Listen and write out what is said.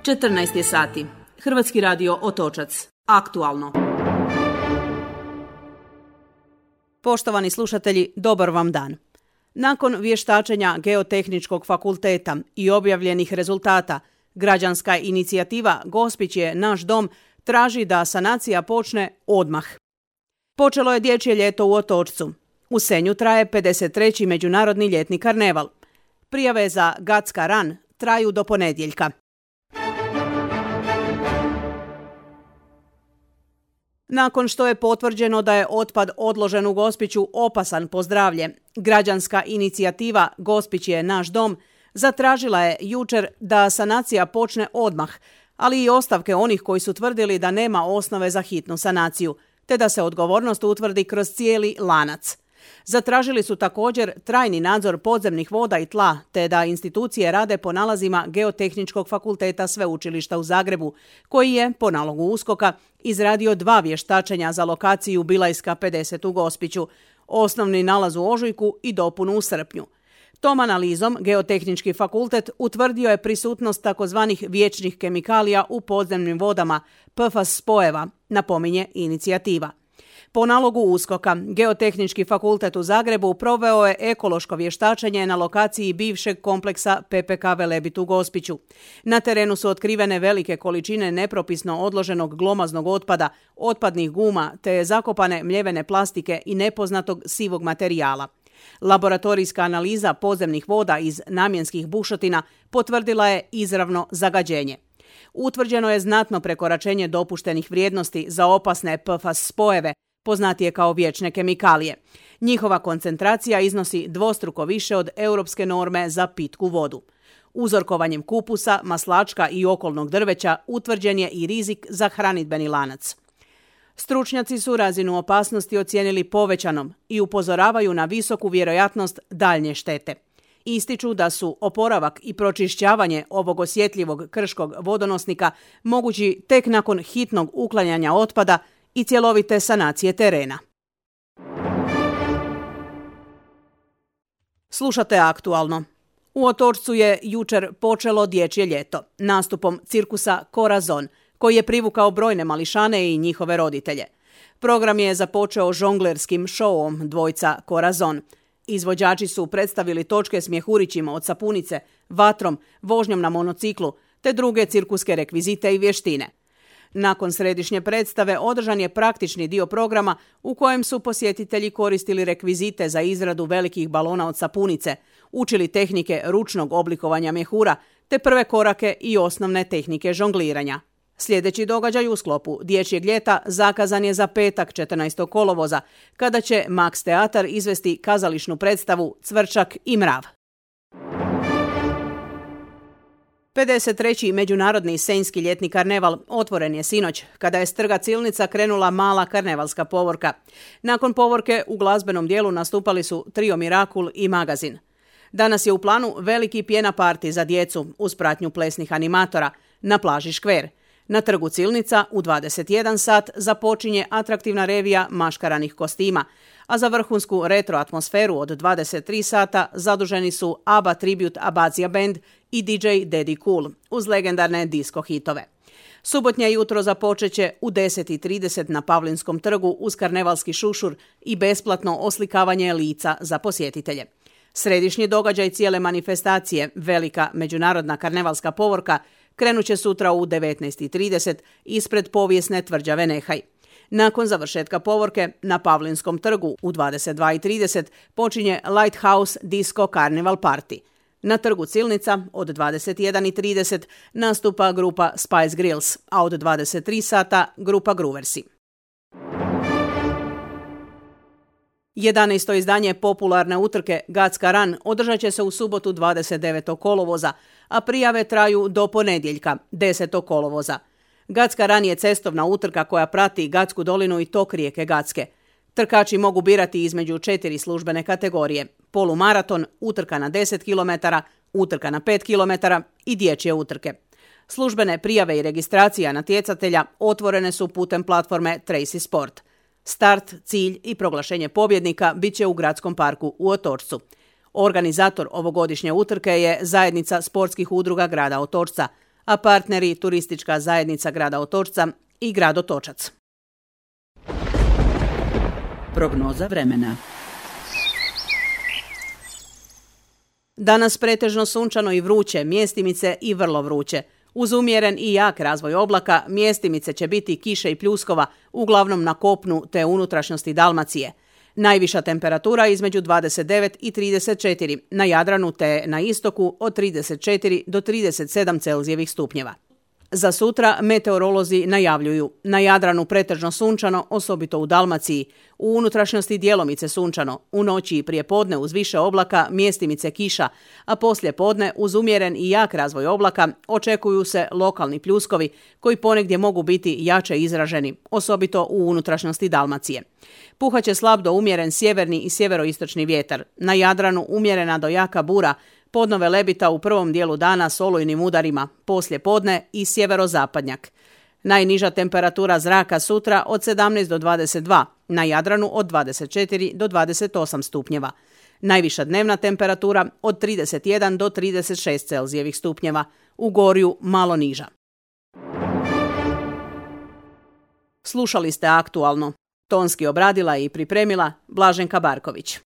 14 je sati. Hrvatski radio Otočac. Aktualno. Poštovani slušatelji, dobar vam dan. Nakon vještačenja Geotehničkog fakulteta i objavljenih rezultata, građanska inicijativa Gospić je naš dom traži da sanacija počne odmah. Počelo je dječje ljeto u Otočcu. U Senju traje 53. međunarodni ljetni karneval. Prijave za Gacka Run traju do ponedjeljka. Nakon što je potvrđeno da je otpad odložen u Gospiću opasan po zdravlje, građanska inicijativa Gospić je naš dom zatražila je jučer da sanacija počne odmah, ali i ostavke onih koji su tvrdili da nema osnove za hitnu sanaciju, te da se odgovornost utvrdi kroz cijeli lanac. Zatražili su također trajni nadzor podzemnih voda i tla, te da institucije rade po nalazima Geotehničkog fakulteta Sveučilišta u Zagrebu, koji je, po nalogu USKOK-a, izradio 2 vještačenja za lokaciju Bilajska 50 u Gospiću, osnovni nalaz u ožujku i dopunu u srpnju. Tom analizom Geotehnički fakultet utvrdio je prisutnost takozvanih vječnih kemikalija u podzemnim vodama, PFAS spojeva, napominje inicijativa. Po nalogu USKOK-a, Geotehnički fakultet u Zagrebu proveo je ekološko vještačenje na lokaciji bivšeg kompleksa PPK Velebit u Gospiću. Na terenu su otkrivene velike količine nepropisno odloženog glomaznog otpada, otpadnih guma te zakopane mljevene plastike i nepoznatog sivog materijala. Laboratorijska analiza podzemnih voda iz namjenskih bušotina potvrdila je izravno zagađenje. Utvrđeno je znatno prekoračenje dopuštenih vrijednosti za opasne PFAS spojeve, poznatije kao vječne kemikalije. Njihova koncentracija iznosi dvostruko više od europske norme za pitku vodu. Uzorkovanjem kupusa, maslačka i okolnog drveća utvrđen je i rizik za hranidbeni lanac. Stručnjaci su razinu opasnosti ocijenili povećanom i upozoravaju na visoku vjerojatnost daljnje štete. Ističu da su oporavak i pročišćavanje ovog osjetljivog krškog vodonosnika mogući tek nakon hitnog uklanjanja otpada i cjelovite sanacije terena. Slušate Aktualno. U Otočcu je jučer počelo dječje ljeto nastupom cirkusa Corazon, koji je privukao brojne mališane i njihove roditelje. Program je započeo žonglerskim šovom dvojca Corazon. Izvođači su predstavili točke s mjehurićima od sapunice, vatrom, vožnjom na monociklu, te druge cirkuske rekvizite i vještine. Nakon središnje predstave održan je praktični dio programa u kojem su posjetitelji koristili rekvizite za izradu velikih balona od sapunice, učili tehnike ručnog oblikovanja mjehura, te prve korake i osnovne tehnike žongliranja. Sljedeći događaj u sklopu dječjeg ljeta zakazan je za petak 14. kolovoza, kada će Max Teatar izvesti kazališnu predstavu Cvrčak i mrav. 53. međunarodni senjski ljetni karneval otvoren je sinoć, kada je s trga Cilnica krenula mala karnevalska povorka. Nakon povorke u glazbenom dijelu nastupali su Trio Mirakul i Magazin. Danas je u planu veliki pjena parti za djecu uz pratnju plesnih animatora na plaži Škver. Na trgu Cilnica u 21 sat započinje atraktivna revija maškaranih kostima, a za vrhunsku retro atmosferu od 23 sata zaduženi su ABBA Tribute Abazia Band i DJ Daddy Cool uz legendarne disco hitove. Subotnje jutro započeće u 10:30 na Pavlinskom trgu uz karnevalski šušur i besplatno oslikavanje lica za posjetitelje. Središnji događaj cijele manifestacije, velika međunarodna karnevalska povorka, krenut će sutra u 19:30 ispred povijesne tvrđave Nehaj. Nakon završetka povorke na Pavlinskom trgu u 22:30 počinje Lighthouse Disco Carnival Party. Na trgu Cilnica od 21:30 nastupa grupa Spice Girls, a od 23 sata grupa Grooversi. 11. izdanje popularne utrke Gacka Run održat će se u subotu 29. kolovoza, a prijave traju do ponedjeljka 10. kolovoza. Gacka Run je cestovna utrka koja prati Gatsku dolinu i tok rijeke Gacke. Trkači mogu birati između 4 službene kategorije: polumaraton, utrka na 10 km, utrka na 5 km i dječje utrke. Službene prijave i registracija natjecatelja otvorene su putem platforme Tracy Sport. Start, cilj i proglašenje pobjednika bit će u Gradskom parku u Otočcu. Organizator ovogodišnje utrke je Zajednica sportskih udruga grada Otočca, a partneri Turistička zajednica grada Otočca i grad Otočac. Prognoza vremena. Danas pretežno sunčano i vruće, mjestimice i vrlo vruće. Uz umjeren i jak razvoj oblaka, mjestimice će biti kiše i pljuskova, uglavnom na kopnu te unutrašnjosti Dalmacije. Najviša temperatura između 29 i 34, na Jadranu te na istoku od 34 do 37 Celzijevih stupnjeva. Za sutra meteorolozi najavljuju na Jadranu pretežno sunčano, osobito u Dalmaciji, u unutrašnjosti djelomice sunčano, u noći i prije podne uz više oblaka, mjestimice kiša, a poslije podne uz umjeren i jak razvoj oblaka očekuju se lokalni pljuskovi koji ponegdje mogu biti jače izraženi, osobito u unutrašnjosti Dalmacije. Puhaće slab do umjeren sjeverni i sjeveroistočni vjetar, na Jadranu umjerena do jaka bura, podnove lebita u prvom dijelu dana s olujnim udarima, poslije podne i sjeverozapadnjak. Najniža temperatura zraka sutra od 17 do 22, na Jadranu od 24 do 28 stupnjeva. Najviša dnevna temperatura od 31 do 36 Celzijevih stupnjeva, u Gorju malo niža. Slušali ste Aktualno. Tonski obradila i pripremila Blaženka Barković.